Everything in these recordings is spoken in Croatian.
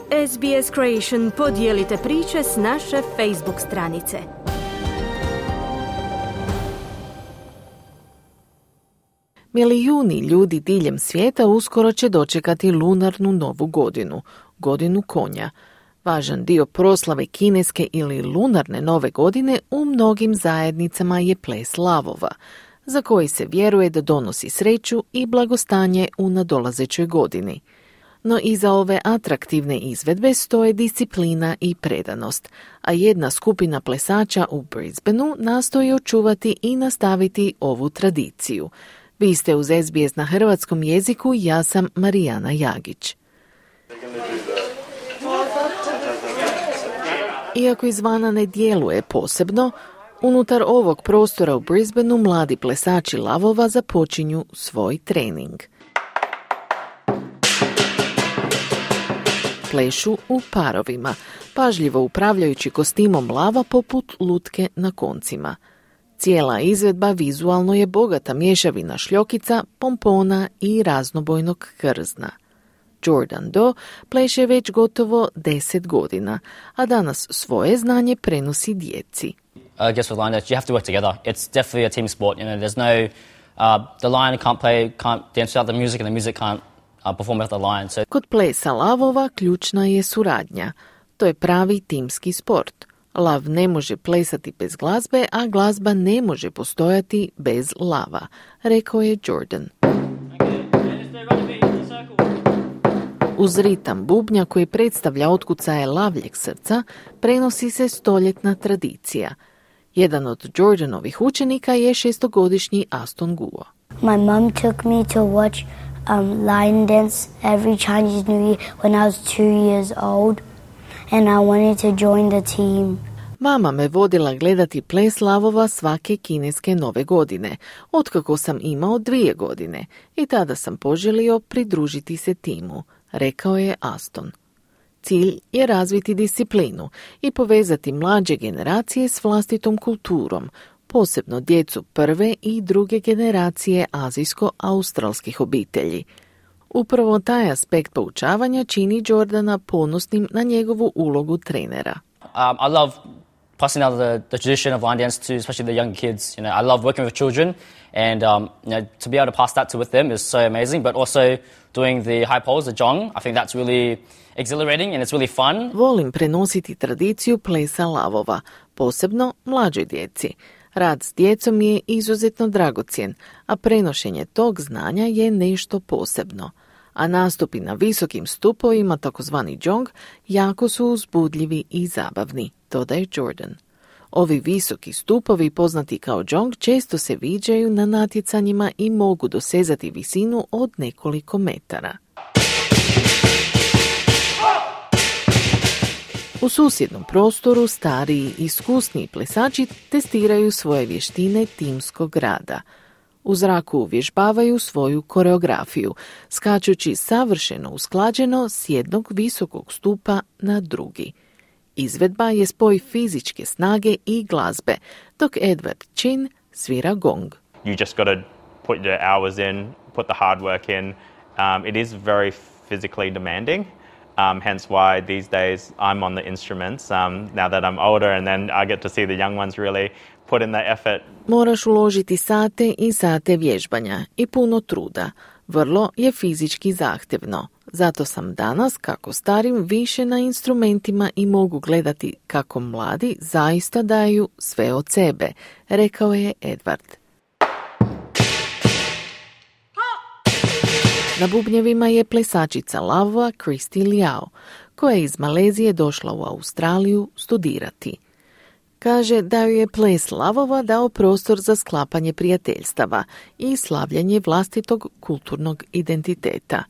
SBS Creation podijelite priče s naše Facebook stranice. Milijuni ljudi diljem svijeta uskoro će dočekati lunarnu novu godinu, godinu konja. Važan dio proslave kineske ili lunarne nove godine u mnogim zajednicama je ples lavova, za koji se vjeruje da donosi sreću i blagostanje u nadolazećoj godini. No iza ove atraktivne izvedbe stoje disciplina i predanost, a jedna skupina plesača u Brisbaneu nastoji očuvati i nastaviti ovu tradiciju. Vi ste uz SBS na hrvatskom jeziku, ja sam Marijana Jagić. Iako izvana ne djeluje posebno, unutar ovog prostora u Brisbaneu mladi plesači lavova započinju svoj trening. Plešu u parovima, pažljivo upravljajući kostimom lava poput lutke na koncima. Cijela izvedba vizualno je bogata mješavina šljokica, pompona i raznobojnog krzna. Jordan Doe pleše već gotovo 10 godina, a danas svoje znanje prenosi djeci. I guess with line dance, you have to work together. It's definitely a team sport. There's no, the lion can't dance without the music, and the music can't perform without the lion. So... Kod plesa lavova ključna je suradnja. To je pravi timski sport. Lav ne može plesati bez glazbe, a glazba ne može postojati bez lava, rekao je Jordan. Uz ritam bubnja koji predstavlja otkucaje lavljeg srca, prenosi se stoljetna tradicija. Jedan od Jordanovih učenika je 6-godišnji Aston Guo. My mom took me to watch lion dance every Chinese New Year when I was 2 years old, and I wanted to join the team. Mama me vodila gledati ples lavova svake kineske nove godine, otkako sam imao 2 godine, i tada sam poželio pridružiti se timu, rekao je Aston. Cilj je razviti disciplinu i povezati mlađe generacije s vlastitom kulturom, posebno djecu prve i druge generacije azijsko-australskih obitelji. Upravo taj aspekt poučavanja čini Jordana ponosnim na njegovu ulogu trenera. I love passing out the tradition of line dance to especially the young kids. I love working with children, and to be able to pass that to with them is so amazing. But also doing the high poles, the zhong, I think that's really exhilarating and it's really fun. Volim prenositi tradiciju plesa lavova, posebno mlađoj djeci. Rad s djecom je izuzetno dragocjen, a prenošenje tog znanja je nešto posebno. A nastupi na visokim stupovima, takozvani zhong, jako su uzbudljivi i zabavni, dodaje Jordan. Ovi visoki stupovi, poznati kao zhong, često se viđaju na natjecanjima i mogu dosezati visinu od nekoliko metara. U susjednom prostoru stariji i iskusniji plesači testiraju svoje vještine timskog rada. U zraku uvježbavaju svoju koreografiju, skačući savršeno usklađeno s jednog visokog stupa na drugi. Izvedba je spoj fizičke snage i glazbe, dok Edward Chin svira gong. You just got to put your hours in, put the hard work in. It is very physically demanding. Hence why these days I'm on the instruments now that I'm older, and then I get to see the young ones really put in the effort. Moraš uložiti sate i sate vježbanja i puno truda. Vrlo je fizički zahtjevno. Zato sam danas, kako starim, više na instrumentima i mogu gledati kako mladi zaista daju sve od sebe, rekao je Edward. Na bubnjevima je plesačica lavova Christy Liao, koja je iz Malezije došla u Australiju studirati. Kaže da ju je ples lavova dao prostor za sklapanje prijateljstava i slavljanje vlastitog kulturnog identiteta.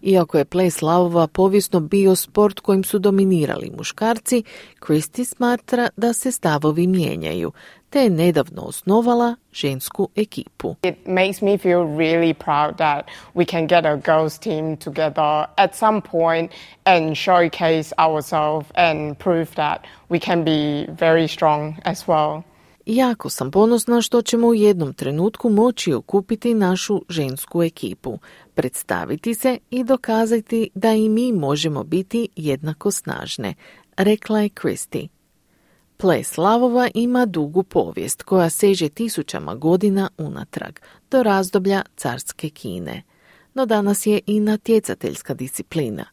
Iako je ples lavova povijesno bio sport kojim su dominirali muškarci, Christy smatra da se stavovi mijenjaju, te je nedavno osnovala žensku ekipu. It makes me feel really proud that we can get a girls team together at some point and showcase ourselves and prove that we can be very strong as well. Jako sam ponosna što ćemo u jednom trenutku moći okupiti našu žensku ekipu, predstaviti se i dokazati da i mi možemo biti jednako snažne, rekla je Christy. Ples lavova ima dugu povijest koja seže tisućama godina unatrag, do razdoblja carske Kine. No danas je i natjecateljska disciplina.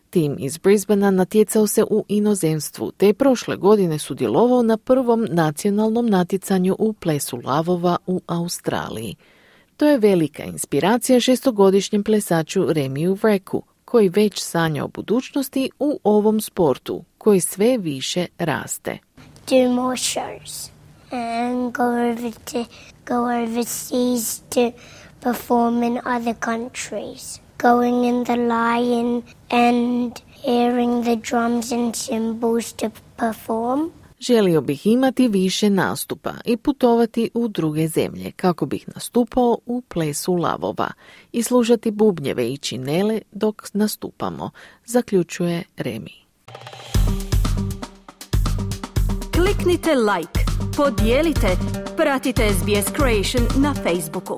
Tim iz Brisbanea natjecao se u inozemstvu, te je prošle godine sudjelovao na prvom nacionalnom natjecanju u plesu lavova u Australiji. To je velika inspiracija 6-godišnjem plesaču Remiju Vreku, koji već sanja o budućnosti u ovom sportu, koji sve više raste. Do more shows and go overseas to perform in other countries. Going in the line and hearing the drums and cymbals to perform. Želio bih imati više nastupa i putovati u druge zemlje kako bih nastupao u plesu lavova i slušati bubnjeve i činele dok nastupamo, zaključuje Remi. Kliknite like, podijelite, pratite SBS Creation na Facebooku.